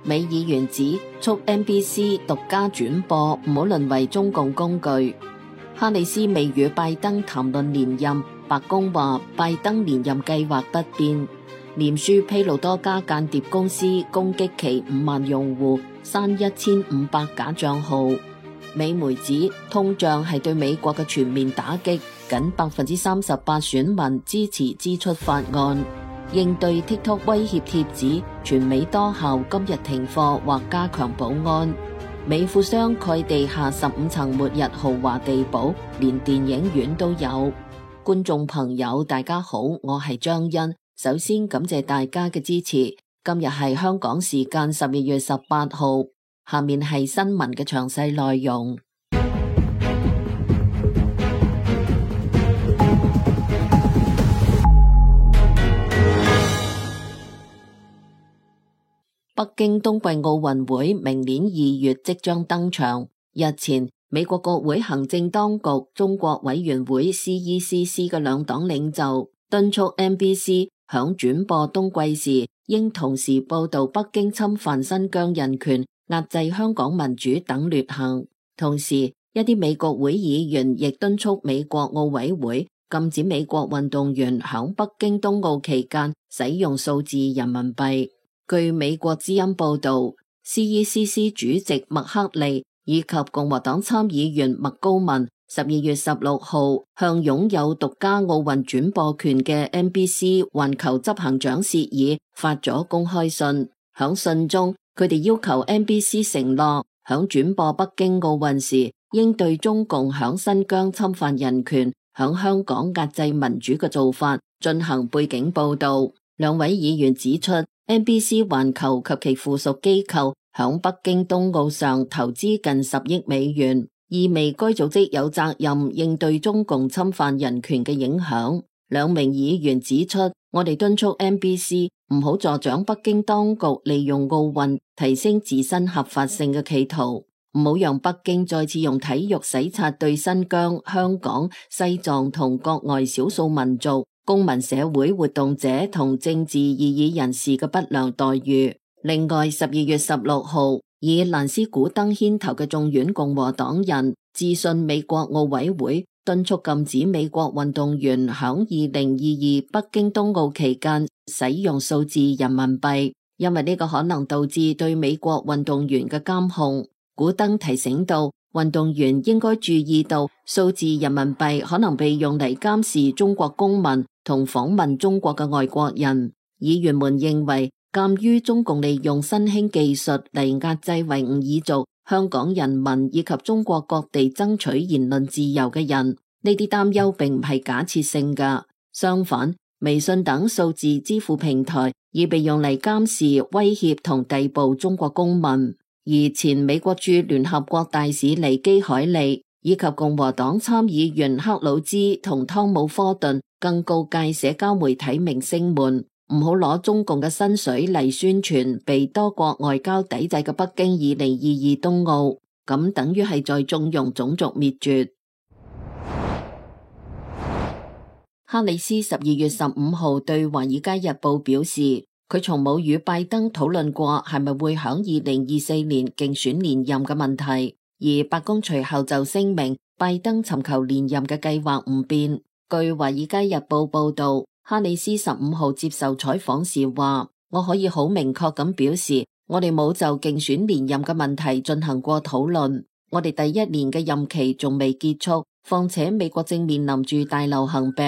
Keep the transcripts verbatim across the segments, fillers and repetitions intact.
美議員指促 N B C 獨家轉播，唔好淪為中共工具。哈里斯未與拜登談論連任，白宮話拜登連任計劃不變。臉書披露多家間諜公司攻擊其五萬用戶，刪一千五百假賬號。美媒指通脹係對美國嘅全面打擊，僅百分之三十八選民支持支出法案。應對 TikTok 威脅貼紙，全美多校今日停課或加強保安。美富商蓋地下十五層末日豪華地堡，連電影院都有。觀眾朋友大家好，我係張欣，首先感謝大家嘅支持。今日係香港時間十二月十八號，下面係新聞嘅詳細內容。北京冬季奧運會明年二月即將登場。日前，美國國會行政當局中國委員會 C E C C 嘅兩黨領袖敦促 N B C 響轉播冬季時，應同時報道北京侵犯新疆人權、壓制香港民主等劣行。同時，一啲美國會議員亦敦促美國奧委會禁止美國運動員響北京冬奧期間使用數字人民幣。據美國之音報道 ，C E C C 主席麥克利以及共和黨參議員麥高文十二月十六號向擁有獨家奧運轉播權嘅 N B C 環球執行長謝爾發咗公開信。響信中，佢哋要求 N B C 承諾響轉播北京奧運時，應對中共響新疆侵犯人權、響香港壓制民主嘅做法進行背景報道。兩位議員指出，N B C 環球及其附屬機構響北京冬奧上投資近十億美元，意味該組織有責任應對中共侵犯人權嘅影響。兩名議員指出，我哋敦促 N B C 唔好助長北京當局利用奧運提升自身合法性嘅企圖，唔好讓北京再次用體育洗刷對新疆、香港、西藏同國外少數民族、公民社會活動者同政治異議人士嘅不良待遇。另外，十二月十六號，以蘭斯古登牽頭嘅眾院共和黨人致信美國奧委會，敦促禁止美國運動員響二零二二北京冬奧期間使用數字人民幣，因為呢個可能導致對美國運動員嘅監控。古登提醒到，運動員應該注意到數字人民幣可能被用嚟監視中國公民同訪問中國嘅外國人。議員們認為，鑒於中共利用新興技術嚟壓制維吾爾族、香港人民以及中國各地爭取言論自由嘅人，呢啲擔憂並唔係假設性㗎。相反，微信等數字支付平台已被用嚟監視、威脅同逮捕中國公民。而前美國駐聯合國大使尼基海利以及共和黨參議員克魯茲同湯姆科頓更告誡社交媒體明星們唔好攞中共嘅薪水嚟宣傳被多國外交抵制嘅北京二零二二冬奧，咁等於係在縱容種族滅絕。哈里斯十二月十五號對《華爾街日報》表示，佢從冇與拜登討論過係咪會響二零二四年競選連任嘅問題，而白宮隨後就聲明拜登尋求連任嘅計劃唔變。據《華爾街日報》報道，哈里斯十五號接受採訪時話，我可以好明確咁表示，我哋冇就競選連任嘅問題進行過討論。我哋第一年嘅任期仲未結束，況且美國正面臨住大流行病，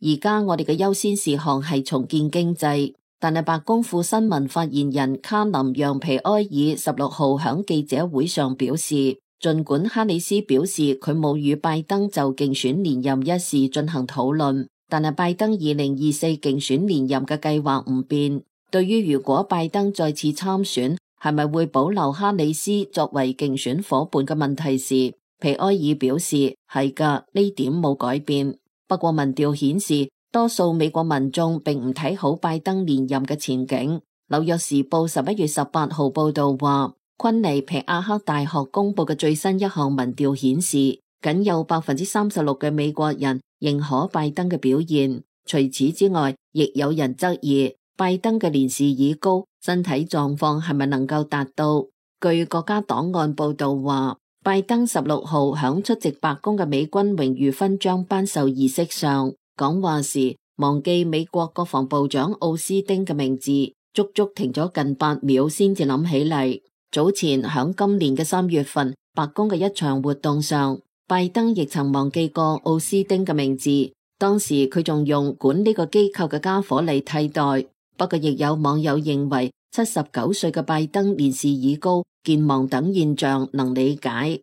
而家我哋嘅優先事項係重建經濟。但係白宮副新聞發言人卡林讓皮埃爾十六號響記者會上表示，儘管哈里斯表示佢冇與拜登就競選連任一事進行討論，但係拜登二零二四競選連任嘅計劃唔變。對於如果拜登再次參選，係咪會保留哈里斯作為競選夥伴嘅問題時，皮埃爾表示係㗎，呢點冇改變。不過民調顯示，多數美國民眾並唔睇好拜登連任嘅前景。紐約時報十一月十八號報道話，昆尼皮亞克大學公布嘅最新一項民調顯示，僅有百分之三十六嘅美國人認可拜登嘅表現。除此之外，亦有人質疑拜登嘅年事已高，身體狀況係咪能夠達到？據國家檔案報道話，拜登十六號響出席白宮嘅美軍榮譽勳章頒授儀式上講話時，忘記美國國防部長奧斯汀嘅名字，足足停咗近八秒先至諗起嚟。早前響今年嘅三月份，白宮嘅一場活動上，拜登亦曾忘記過奧斯汀嘅名字，當時佢仲用管呢個機構嘅家伙嚟替代。不過亦有網友認為，七十九歲嘅拜登年事已高，健忘等現象能理解。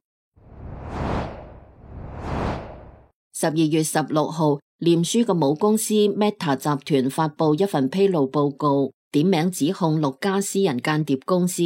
十二月十六號，臉書嘅母公司 Meta 集團發布一份披露報告，點名指控六家私人間諜公司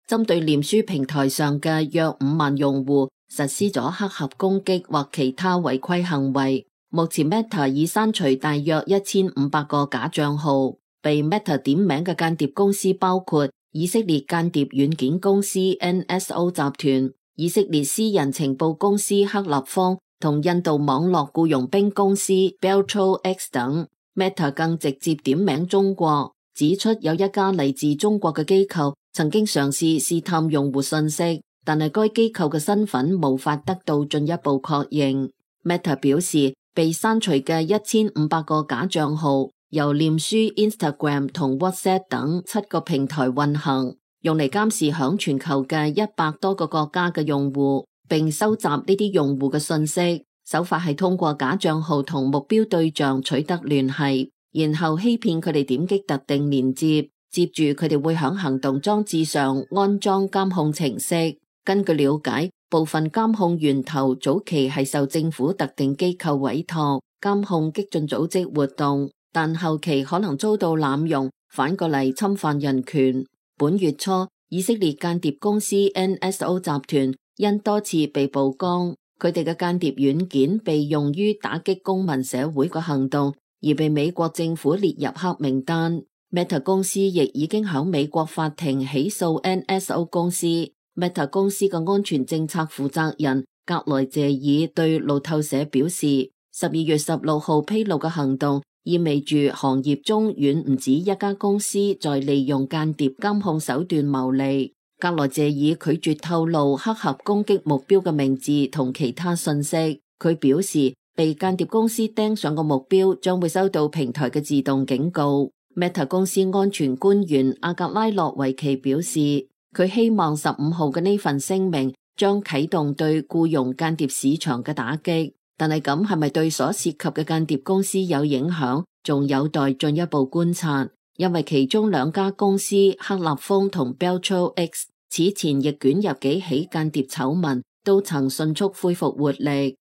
針對臉書平台上嘅約五萬用戶實施咗黑客攻擊或其他違規行為。目前 Meta 已刪除大約一千五百個假賬號，被 Meta 點名嘅間諜公司包括以色列間諜軟件公司 N S O 集團、以色列私人情報公司克立方同印度網絡僱傭兵公司 BeltroX 等。 Meta 更直接點名中國，指出有一家嚟自中國嘅機構曾經嘗試試探用戶信息，但係該機構嘅身份無法得到進一步確認。 Meta 表示，被刪除嘅一千五百個假賬號由臉書、Instagram 同 WhatsApp 等七個平台運行，用嚟監視響全球嘅一百多個國家嘅用戶，並收集呢啲用戶嘅信息。手法係通過假賬號同目標對象取得聯繫，然後欺騙佢哋點擊特定鏈接，接住佢哋會響行動裝置上安裝監控程式。根據了解，部分監控源頭早期係受政府特定機構委託監控激進組織活動，但後期可能遭到濫用，反過嚟侵犯人權。本月初，以色列間諜公司 N S O 集團因多次被曝光，佢哋嘅間諜軟件被用於打擊公民社會嘅行動，而被美國政府列入黑名單。Meta 公司亦已經響美國法庭起訴 N S O 公司。Meta 公司嘅安全政策負責人格萊謝爾對路透社表示，十二月十六號披露嘅行動意味住行業中遠唔止一家公司在利用間諜監控手段牟利。格萊謝爾拒絕透露黑客攻擊目標嘅名字同其他信息。佢表示，被間諜公司盯上個目標將會收到平台嘅自動警告。Meta 公司安全官員阿格拉諾維奇表示，佢希望十五號嘅呢份聲明將啟動對僱傭間諜市場嘅打擊，但係咁係咪對所涉及嘅間諜公司有影響，仲有待進一步觀察。因為其中兩家公司克立峰同 BeltroX 此前亦捲入幾起間諜醜聞，都曾迅速恢復活力。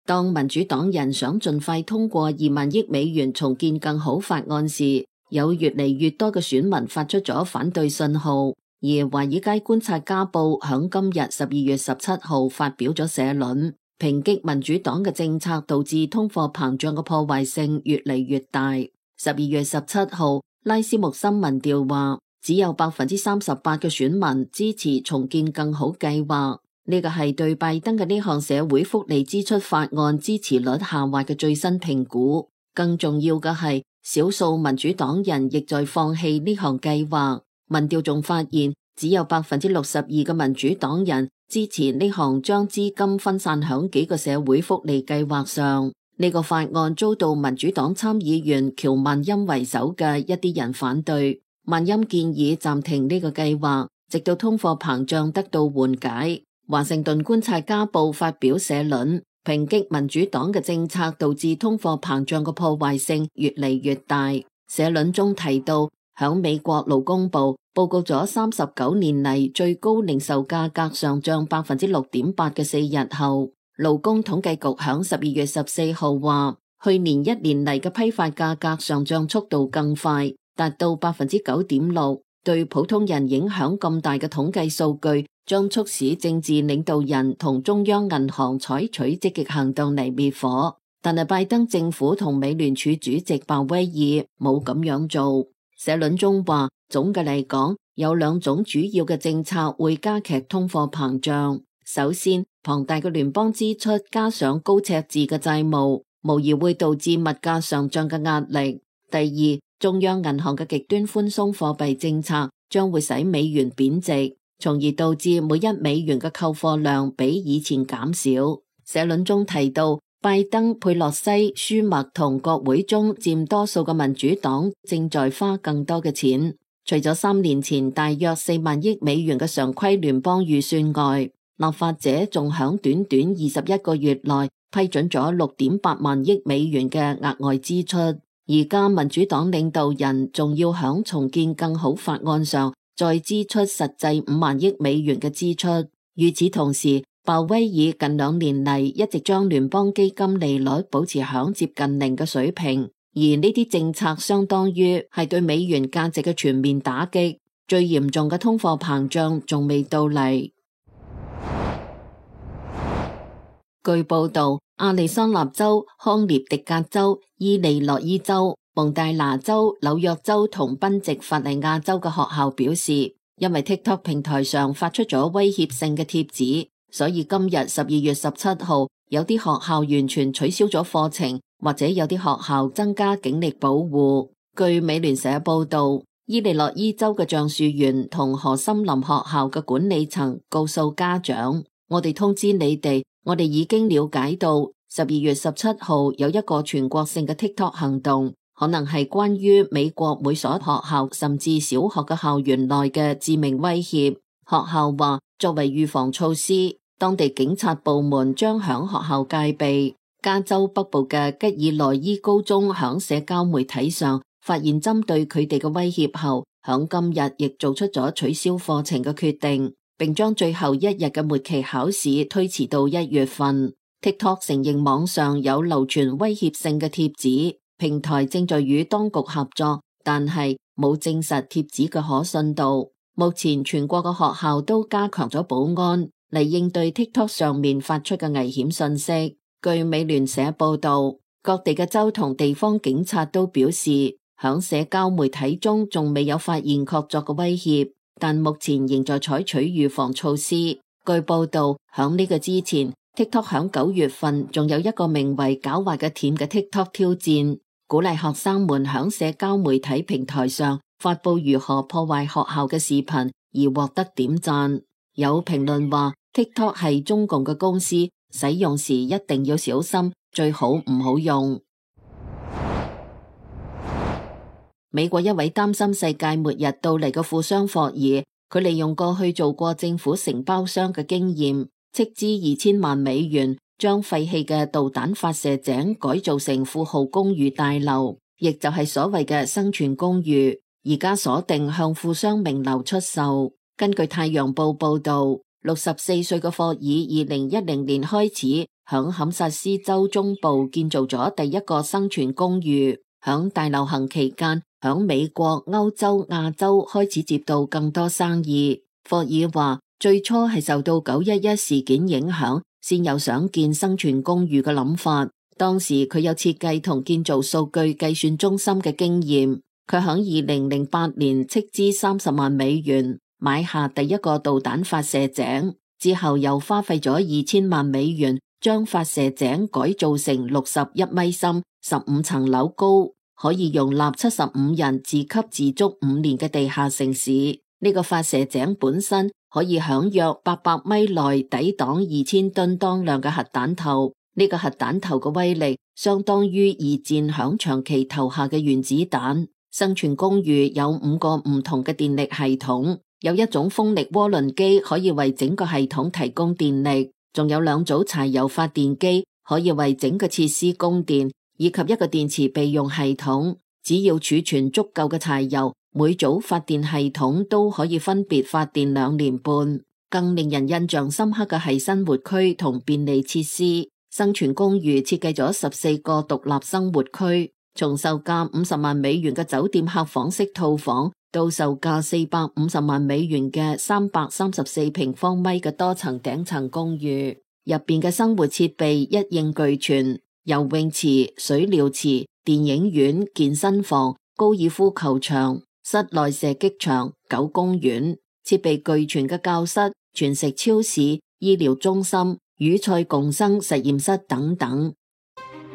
當民主黨人想盡快通過二萬億美元重建更好法案時，有越嚟越多嘅選民發出咗反對信號。而華爾街觀察家報響今日十二月十七號發表咗社論，抨擊民主黨嘅政策導致通貨膨脹嘅破壞性越嚟越大。十二月十七號，拉斯穆森民調話，只有百分之三十八嘅選民支持重建更好計劃。呢個係對拜登嘅呢項社會福利支出法案支持率下滑嘅最新評估。更重要嘅係，少數民主黨人亦在放棄呢項計劃。民調仲發現，只有百分之六十二嘅民主黨人支持呢項將資金分散響幾個社會福利計劃上。呢個法案遭到民主黨參議員喬曼欽為首嘅一啲人反對。曼欽建議暫停呢個計劃，直到通貨膨脹得到緩解。華盛頓觀察家報發表社論，抨擊民主黨嘅政策導致通貨膨脹嘅破壞性越嚟越大。社論中提到，響美國勞工部報告咗三十九年嚟最高零售價格上漲百分之六點八嘅四日後，勞工統計局響十二月十四號話，去年一年嚟嘅批發價格上漲速度更快，達到百分之九點六。對普通人影響咁大嘅統計數據，將促使政治領導人同中央銀行採取積極行動嚟滅火。但係拜登政府同美聯儲主席鮑威爾冇咁樣做。社論中話，總嘅嚟講，有兩種主要嘅政策會加劇通貨膨脹。首先，龐大嘅聯邦支出加上高赤字嘅債務，無疑會導致物價上漲嘅壓力。第二，中央銀行嘅極端寬鬆貨幣政策將會使美元貶值，從而導致每一美元嘅購貨量比以前減少。社論中提到，拜登、佩洛西、舒默同國會中佔多數嘅民主黨正在花更多嘅錢。除咗三年前大約四萬億美元嘅常規聯邦預算外，立法者仲響短短二十一個月內批准咗六點八萬億美元嘅額外支出。而家民主黨領導人仲要響重建更好法案上再支出實際五萬億美元嘅支出。與此同時，鮑威爾近兩年嚟一直將聯邦基金利率保持響接近零嘅水平，而呢啲政策相當於係對美元價值嘅全面打擊。最嚴重嘅通貨膨脹仲未到嚟。據報道，亞利桑那州、康涅狄格州、伊利諾伊州、蒙大拿州、紐約州同賓夕法尼亞州嘅學校表示，因為 TikTok 平台上發出咗威脅性嘅貼紙，所以今日十二月十七號，有啲學校完全取消咗課程，或者有啲學校增加警力保護。據美聯社報道，伊利諾伊州嘅橡樹園同河森林學校嘅管理層告訴家長，我哋通知你哋，我哋已經了解到十二月十七號有一個全國性嘅 TikTok 行動，可能係關於美國每所學校甚至小學嘅校園內嘅致命威脅。學校話，作為預防措施，當地警察部門將響學校戒備。加州北部嘅吉爾內伊高中響社交媒體上發現針對佢哋嘅威脅後，響今日亦做出咗取消課程嘅決定，並將最後一日嘅末期考試推遲到一月份。TikTok 承認網上有流傳威脅性嘅貼紙，平台正在與當局合作，但係冇證實貼紙嘅可信度。目前全國嘅學校都加強咗保安嚟應對 TikTok 上面發出嘅危險信息。據美聯社報道，各地嘅州同地方警察都表示，響社交媒體中仲未有發現確鑿嘅威脅，但目前仍在採取預防措施。據報道，響呢個之前，TikTok 響九月份仲有一個名為狡猾嘅甜嘅 TikTok 挑戰，鼓勵學生們響社交媒體平台上發布如何破壞學校嘅視頻而獲得點讚。有評論話 TikTok 係中共嘅公司，使用時一定要小心，最好唔好用。美國一位擔心世界末日到嚟嘅富商霍爾，佢利用過去做過政府承包商嘅經驗，斥資二千萬美元將廢棄嘅導彈發射井改造成富豪公寓大樓，亦就係所謂嘅生存公寓，而家鎖定向富商名流出售。根據太陽報報道，六十四歲嘅霍爾二零一零年開始響堪薩斯州中部建造咗第一個生存公寓，響大流行期間響美國、歐洲、亞洲開始接到更多生意。霍爾話，最初係受到九一一事件影響，先有想建生存公寓嘅諗法。當時佢有設計同建造數據計算中心嘅經驗。佢響二零零八年斥資三十萬美元買下第一個導彈發射井，之後又花費咗二千萬美元將發射井改造成六十一米深、十五層樓高，可以容納七十五人自給自足五年嘅地下城市。呢、這個發射井本身可以響約八百米內抵擋二千噸當量嘅核彈頭。呢、這個核彈頭嘅威力相當於二戰響長期投下嘅原子彈。生存公寓有五個唔同嘅電力系統。有一種風力渦輪機可以為整個系統提供電力，仲有兩組柴油發電機可以為整個設施供電，以及一個電池備用系統。只要儲存足夠嘅柴油，每組發電系統都可以分別發電兩年半。更令人印象深刻嘅係生活區同便利設施。生存公寓設計咗十四個獨立生活區，從售價五十萬美元嘅酒店客房式套房，到售價四百五十萬美元嘅三百三十四平方米嘅多層頂層公寓，入邊嘅生活設備一應俱全，游泳池、水療池、電影院、健身房、高爾夫球場、室內射擊場、狗公園，設備俱全嘅教室、全食超市、醫療中心、與菜共生實驗室等等。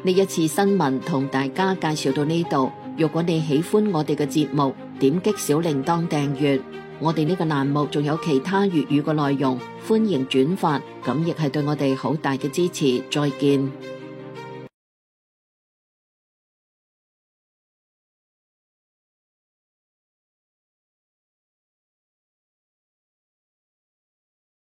呢一次新聞同大家介紹到呢度。如果你喜歡我哋嘅節目，點擊小鈴鐺訂閱。我哋呢個欄目仲有其他粵語嘅內容，歡迎轉發，咁亦係對我哋好大嘅支持。再見。